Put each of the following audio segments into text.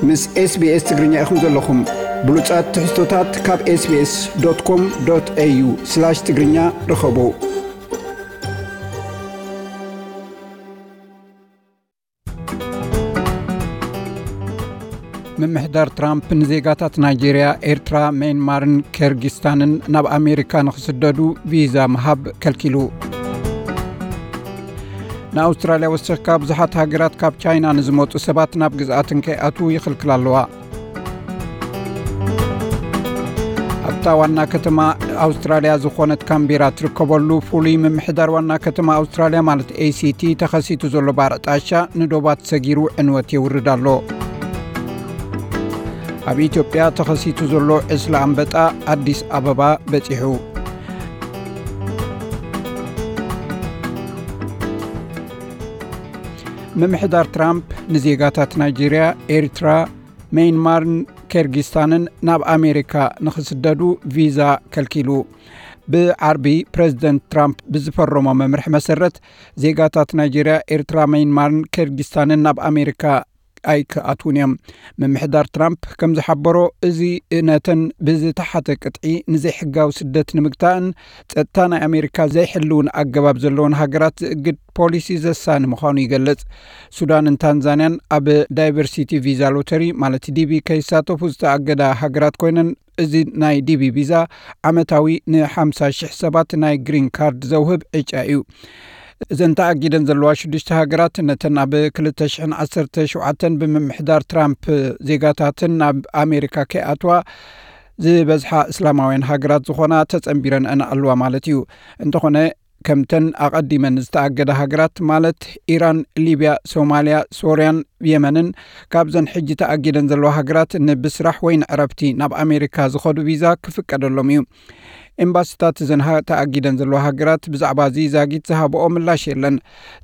ምስ SBS ትግርኛ ኢኹም ዘለኹም። ብሉጻት ትሕዝቶታት ካብ SBS.com.au/ትግርኛ ርኸቡ። ምምሕዳር ትራምፕ ንዜጋታት ናይጄርያ፣ ኤርትራ፣ ሜንማርን ኬርጊስታንን ናብ ኣሜሪካ ንኽስደዱ ቪዛ ምሃብ ከልኪሉ። ንኣውስትራልያ ወሰኽካ ብዙሓት ሃገራት ካብ ቻይና ንዝመጹ ሰባት ናብ ግዝኣተን ከይኣትዉ ይኽልክላ ኣለዋ። ኣብታ ዋና ከተማ ኣውስትራልያ ዝኾነት ካምቤራ ትርከበሉ ፍሉይ ምምሕዳር ዋና ከተማ ኣውስትራልያ ማለት ኤ ሲ ቲ ተኸሲቱ ዘሎ ባርዕ ጣሻ ንዶባት ሰጊሩ ዕንወት የውርድ ኣሎ። ኣብ ኢትዮጵያ ተኸሲቱ ዘሎ ዕስለ ኣንበጣ ኣዲስ ኣበባ በጺሑ። ምምሕዳር ትራምፕ ንዜጋታት ናይጄርያ፣ ኤርትራ፣ ሜይንማርን ኬርጊስታንን ናብ ኣሜሪካ ንኽስደዱ ቪዛ ከልኪሉ። ብዓርቢ ፕሬዚደንት ትራምፕ ብዝፈረሞ መምርሒ መሰረት፣ ዜጋታት ናይጄርያ፣ ኤርትራ፣ ሜይንማርን ኬርጊስታንን ናብ ኣሜሪካ ኣይክኣትዉን እዮም። ምምሕዳር ትራምፕ ከም ዝሓበሮ፣ እዚ ነተን ብዝተሓተ ቅጥዒ ንዘይሕጋዊ ስደት ንምግታእን ጸጥታ ናይ ኣሜሪካ ዘይሕልውን ኣገባብ ዘለዎን ሃገራት ዝእግድ ፖሊሲ ዘሳኒ ምዃኑ ይገልጽ። ሱዳንን ታንዛንያን ኣብ ዳይቨርሲቲ ቪዛ ሎተሪ ማለት ዲ ቢ ከይሳተፉ ዝተኣገዳ ሃገራት ኮይነን፣ እዚ ናይ ዲ ቢ ቪዛ ዓመታዊ ን ሓምሳ ሽሕ ሰባት ናይ ግሪን ካርድ ዘውህብ ዕጫ እዩ። እዘን ተኣጊደን ዘለዋ ሽዱሽተ ሃገራት ነተን ኣብ ክልተ ሽሕን ዓሰርተ ሸውዓተን ብምምሕዳር ትራምፕ ዜጋታተን ናብ ኣሜሪካ ከይኣትዋ ዝበዝሓ እስላማውያን ሃገራት ዝኾና ተጸንቢረን ኣለዋ ማለት እዩ። እንተኾነ፣ ከምተን ኣቐዲመን ዝተኣገዳ ሃገራት ማለት ኢራን፣ ሊብያ፣ ሶማልያ፣ ሶርያን የመንን፣ ካብዘን ሕጂ ተኣጊደን ዘለዋ ሃገራት ንብስራሕ ወይ ንዕረፍቲ ናብ ኣሜሪካ ዝኸዱ ቪዛ ክፍቀደሎም እዩ። ኤምባሲታት እዘን ሃ-፣ ተኣጊደን ዘለዋ ሃገራት ብዛዕባ እዚ ዛጊት ዝሃብኦ ምላሽ የለን።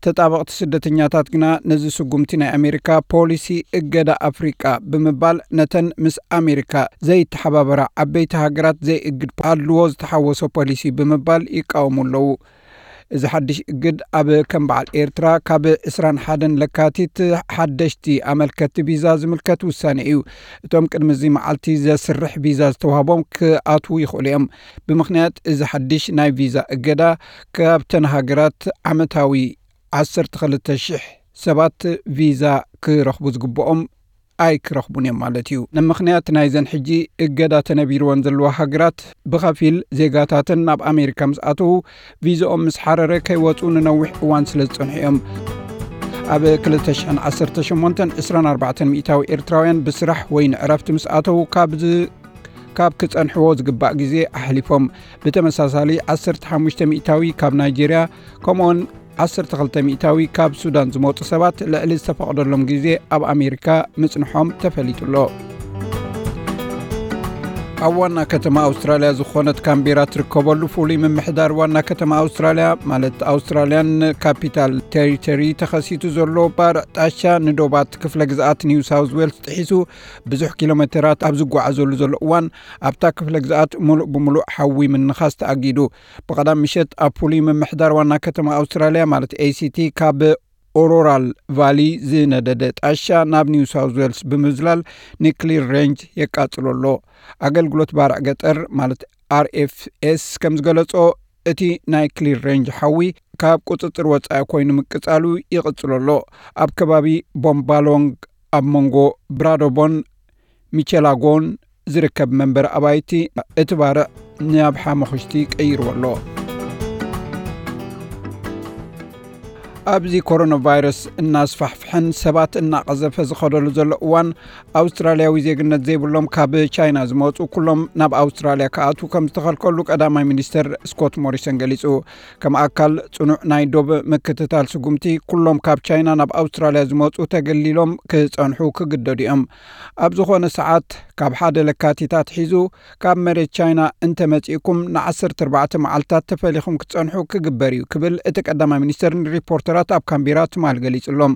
ተጣበቕቲ ስደተኛታት ግና ነዚ ስጉምቲ ናይ ኣሜሪካ ፖሊሲ እገዳ ኣፍሪቃ ብምባል ነተን ምስ ኣሜሪካ ዘይተሓባበራ ዓበይቲ ሃገራት ዘይእግድ ኣድልዎ ዝተሓወሶ ፖሊሲ ብምባል ይቃወሙ ኣለዉ። እዚ ሓድሽ እግድ ኣብ ከም በዓል ኤርትራ ካብ ዕስራን ሓደን ለካቲት ሓደሽቲ ኣመልከቲ ቪዛ ዝምልከት ውሳኔ እዩ። እቶም ቅድሚ እዚ መዓልቲ ዘስርሕ ቪዛ ዝተዋህቦም ክኣትዉ ይኽእሉ እዮም። ብምኽንያት እዚ ሓድሽ ናይ ቪዛ እገዳ፣ ካብተን ሃገራት ዓመታዊ ዓሰርተ ክልተ ሽሕ ሰባት ቪዛ ክረኽቡ ዝግብኦም ኣይክረኽቡን እዮም ማለት እዩ። ንምኽንያት ናይዘን ሕጂ እገዳ ተነቢርወን ዘለዋ ሃገራት፣ ብኸፊል ዜጋታተን ናብ ኣሜሪካ ምስ ኣተዉ፣ ቪዛኦም ምስ ሓረረ ከይወጹ ንነዊሕ እዋን ስለ ዝጸንሑ እዮም። ኣብ ክልተ ሽሕን ዓሰርተ ሸሞንተን፣ ዕስራን ኣርባዕተን ሚእታዊ ኤርትራውያን ብስራሕ ወይ ንዕረፍቲ ምስ ኣተዉ፣ ካብ ዝ-፣ ካብ ክጸንሕዎ ዝግባእ ግዜ ኣሕሊፎም። ብተመሳሳሊ፣ ዓሰርተ ሓሙሽተ ሚእታዊ ካብ ናይጄርያ፣ ከምኡውን ዓሰርተ ክልተ ሚእታዊ ካብ ሱዳን ዝመጹ ሰባት ልዕሊ ዝተፈቕደሎም ግዜ ኣብ ኣሜሪካ ምጽንሖም ተፈሊጡ ኣሎ። ኣብ ዋና ከተማ ኣውስትራልያ ዝኾነት ካምቤራ ትርከበሉ ፍሉይ ምምሕዳር ዋና ከተማ ኣውስትራልያ፣ ማለት ኣውስትራልያን ካፒታል ቴሪቶሪ፣ ተኸሲቱ ዘሎ ባርዕ ጣሻ ንዶባት ክፍለ ግዝኣት ኒው ሳውዝ ዌልስ ጥሒሱ ብዙሕ ኪሎ ሜተራት ኣብ ዝጓዓዘሉ ዘሎ እዋን፣ ኣብታ ክፍለ ግዝኣት ሙሉእ ብሙሉእ ሓዊ ምንኻስ ተኣጊዱ። ብቐዳም ምሸት ኣብ ፍሉይ ምምሕዳር ዋና ከተማ ኣውስትራልያ፣ ማለት ኤ ሲ ቲ፣ ካብ ኦሮራል ቫሊ ዝነደደ ጣሻ ናብ ኒው ሳውዝ ዌልስ ብምዝላል ኒክሊር ሬንጅ የቃጽሎ ኣሎ። ኣገልግሎት ባርዕ ገጠር፣ ማለት ኣር ኤፍ ኤስ፣ ከም ዝገለጾ፣ እቲ ናይ ክሊር ሬንጅ ሓዊ ካብ ቁጽጽር ወጻኢ ኮይኑ ምቅጻሉ ይቕጽሎ ኣሎ። ኣብ ከባቢ ቦምባሎንግ፣ ኣብ መንጎ ብራዶቦን ሚቸላጎን ዝርከብ መንበሪ ኣባይቲ፣ እቲ ባርዕ ናብ ሓመኹሽቲ ቀይርዎ ኣሎ። ኣብዚ ኮሮና ቫይረስ እናስፋሕፍሐን ሰባት እናቐዘፈ ዝኸደሉ ዘሎ እዋን፣ ኣውስትራልያዊ ዜግነት ዘይብሎም ካብ ቻይና ዝመጹ ኩሎም ናብ ኣውስትራልያ ክኣትዉ ከም ዝተኸልከሉ ቀዳማይ ሚኒስተር ስኮት ሞሪሰን ገሊጹ። ከም ኣካል ጽኑዕ ናይ ዶብ ምክትታል ስጉምቲ፣ ኩሎም ካብ ቻይና ናብ ኣውስትራልያ ዝመጹ ተገሊሎም ክጸንሑ ክግደዱ እዮም። ኣብ ዝኾነ ሰዓት ካብ ሓደ ለካቲት ኣትሒዙ፣ ካብ መሬት ቻይና እንተመጺእኩም ንዓሰርተ ኣርባዕተ መዓልታት ተፈሊኹም ክትጸንሑ ክግበር እዩ ክብል እቲ ቀዳማይ ሚኒስተር ንሪፖርተራት ኣብ ካምቤራ ትማል ገሊጹሎም።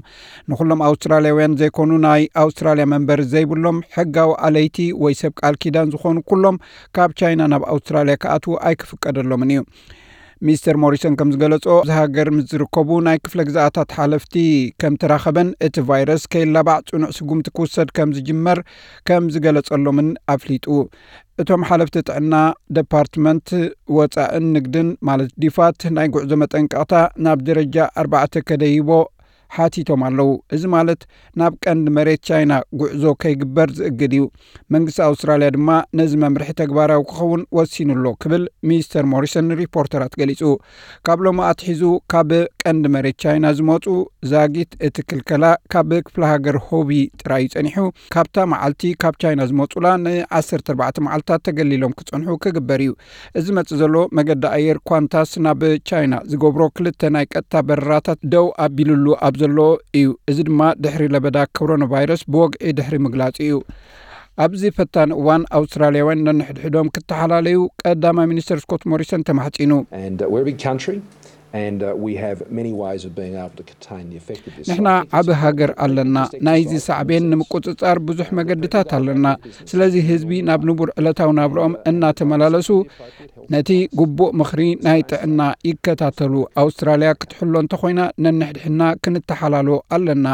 ንኹሎም ኣውስትራልያውያን ዘይኮኑ፣ ናይ ኣውስትራልያ መንበሪ ዘይብሎም፣ ሕጋዊ ኣለይቲ ወይ ሰብ ቃል ኪዳን ዝኾኑ ኩሎም ካብ ቻይና ናብ ኣውስትራልያ ክኣትዉ ኣይክፍቀደሎምን እዩ። ሚስተር ሞሪሰን ከም ዝገለጾ፣ እዚ ሃገር ምስ ዝርከቡ ናይ ክፍለ ግዝኣታት ሓለፍቲ ከም ተራኸበን እቲ ቫይረስ ከይላባዕ ጽኑዕ ስጉምቲ ክውሰድ ከም ዝጅመር ከም ዝገለጸሎምን ኣፍሊጡ። እቶም ሓለፍቲ ጥዕና፣ ደፓርትመንት ወጻእን ንግድን ማለት ዲፋት ናይ ጉዕዞ መጠንቀቕታ ናብ ደረጃ ኣርባዕተ ከደይቦ ሓቲቶም ኣለዉ። እዚ ማለት ናብ ቀንዲ መሬት ቻይና ጉዕዞ ከይግበር ዝእግድ እዩ። መንግስቲ ኣውስትራልያ ድማ ነዚ መምርሒ ተግባራዊ ክኸውን ወሲኑ ኣሎ ክብል ሚስተር ሞሪሰን ንሪፖርተራት ገሊጹ። ካብ ሎሚ ኣትሒዙ ካብ ቀንዲ መሬት ቻይና ዝመጹ ዛጊት እቲ ክልከላ ካብ ክፍለ ሃገር ሆቢ ጥራይ እዩ ጸኒሑ። ካብታ መዓልቲ ካብ ቻይና ዝመጹላ ን ዓሰርተ ኣርባዕተ መዓልታት ተገሊሎም ክጸንሑ ክግበር እዩ። እዚ መጽእ ዘሎ መገዲ ኣየር ኳንታስ ናብ ቻይና ዝገብሮ ክልተ ናይ ቀጥታ በረራታት ደው ኣቢሉሉ ኣብ ዘሎ እዩ። እዚ ድማ ድሕሪ ለበዳ ኮሮና ቫይረስ ብወግዒ ድሕሪ ምግላጹ እዩ። ኣብዚ ፈታኒ እዋን ኣውስትራልያውያን ነንሕድሕዶም ክተሓላለዩ ቀዳማይ ሚኒስተር ስኮት ሞሪሰን ተማሕጺኑ። And uh, we're a big country, and uh, we have many ways of being able to contain the effect of this. ንሕና ዓቢ ሃገር ኣለና። ናይዚ ሳዕቤን ንምቁጽጻር ብዙሕ መገድታት ኣለና። ስለዚ ህዝቢ ናብ ንቡር ዕለታዊ ናብርኦም እናተመላለሱ ነቲ ግቡእ ምኽሪ ናይ ጥዕና ይከታተሉ። ኣውስትራልያ ክትሕሎ እንተኾይና ነንሕድሕና ክንተሓላሎ ኣለና።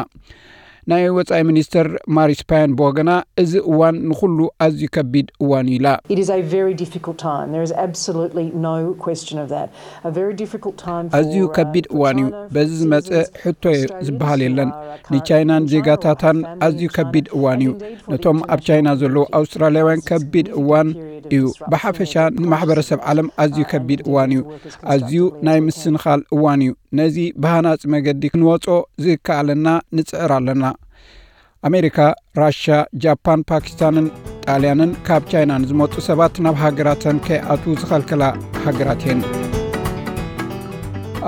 ናይ ወጻኢ ሚኒስተር ማሪስ ፓያን ብወገና፣ እዚ እዋን ንኹሉ ኣዝዩ ከቢድ እዋን እዩ ኢላ። It is a very difficult time. There is absolutely no question of that. A very difficult time for ኣዝዩ ከቢድ እዋን እዩ። በዚ ዝመጸ ሕቶ ዝበሃል የለን። ንቻይናን ዜጋታታን ኣዝዩ ከቢድ እዋን እዩ። ነቶም ኣብ ቻይና ዘለዉ ኣውስትራልያውያን ከቢድ እዋን እዩ። ብሓፈሻ ንማሕበረሰብ ዓለም ኣዝዩ ከቢድ እዋን እዩ። ኣዝዩ ናይ ምስንኻል እዋን እዩ። ነዚ ብሃናጺ መገዲ ክንወጾ ዝከኣለና ንጽዕር ኣለና። ኣሜሪካ፣ ራሻ፣ ጃፓን፣ ፓኪስታንን ጣልያንን ካብ ቻይና ንዝመጹ ሰባት ናብ ሃገራተን ከይኣትዉ ዝኸልከላ ሃገራት እየን።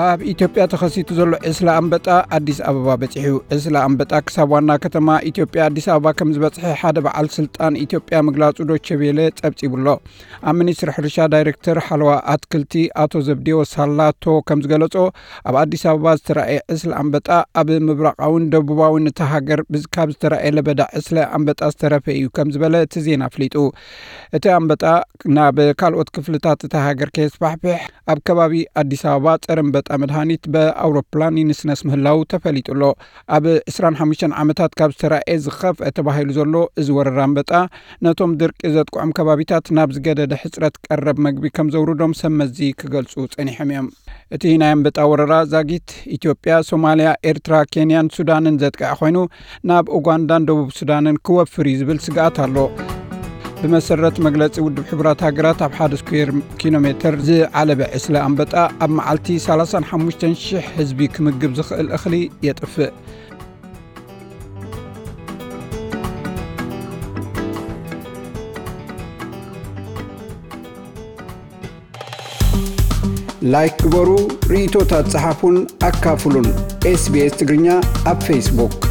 ኣብ ኢትዮጵያ ተኸሲቱ ዘሎ ዕስለ ኣንበጣ ኣዲስ ኣበባ በጺሑ። ዕስለ ኣንበጣ ክሳብ ዋና ከተማ ኢትዮጵያ ኣዲስ ኣበባ ከም ዝበጽሐ ሓደ በዓል ስልጣን ኢትዮጵያ ምግላጹ ዶቼ ቬለ ጸብጺቡ ኣሎ። ኣብ ሚኒስትሪ ሕርሻ ዳይሬክተር ሓለዋ ኣትክልቲ ኣቶ ዘብዴዎስ ሳላቶ ከም ዝገለጾ፣ ኣብ ኣዲስ ኣበባ ዝተራእየ ዕስለ ኣንበጣ ኣብ ምብራቓውን ደቡባውን እታ ሃገር ካብ ዝተራእየ ለበዳ ዕስለ ኣንበጣ ዝተረፈ እዩ ከም ዝበለ እቲ ዜና ኣፍሊጡ። እቲ ኣንበጣ ናብ ካልኦት ክፍልታት እታ ሃገር ከየስፋሕፍሕ ኣብ ከባቢ ኣዲስ ኣበባ ጸረ ኣንበጣ መድሃኒት ብኣውሮፕላን ይንስነስ ምህላው ተፈሊጡ ኣሎ። ኣብ ዕስራን ሓሙሽተን ዓመታት ካብ ዝተራእየ ዝኸፍአ ተባሂሉ ዘሎ እዚ ወረራ ኣንበጣ ነቶም ድርቂ ዘጥቅዖም ከባቢታት ናብ ዝገደደ ሕጽረት ቀረብ መግቢ ከም ዘውርዶም ሰብ መዚ ክገልጹ ጸኒሖም እዮም። እቲ ናይ ኣንበጣ ወረራ ዛጊት ኢትዮጵያ፣ ሶማልያ፣ ኤርትራ፣ ኬንያን ሱዳንን ዘጥቅዐ ኮይኑ ናብ ኡጋንዳን ደቡብ ሱዳንን ክወፍር እዩ ዝብል ስግኣት ኣሎ። ብመሰረት መግለጺ ውድብ ሕቡራት ሃገራት ኣብ ሓደ ስኩዌር ኪሎ ሜተር ዝዓለበ ዕስለ ኣንበጣ ኣብ መዓልቲ ሰላሳን ሓሙሽተን ሽሕ ህዝቢ ክምግብ ዝኽእል እኽሊ የጥፍእ። ላይክ ግበሩ፣ ርእይቶታት ጸሓፉን ኣካፍሉን። ኤስቢኤስ ትግርኛ ኣብ ፌስቡክ።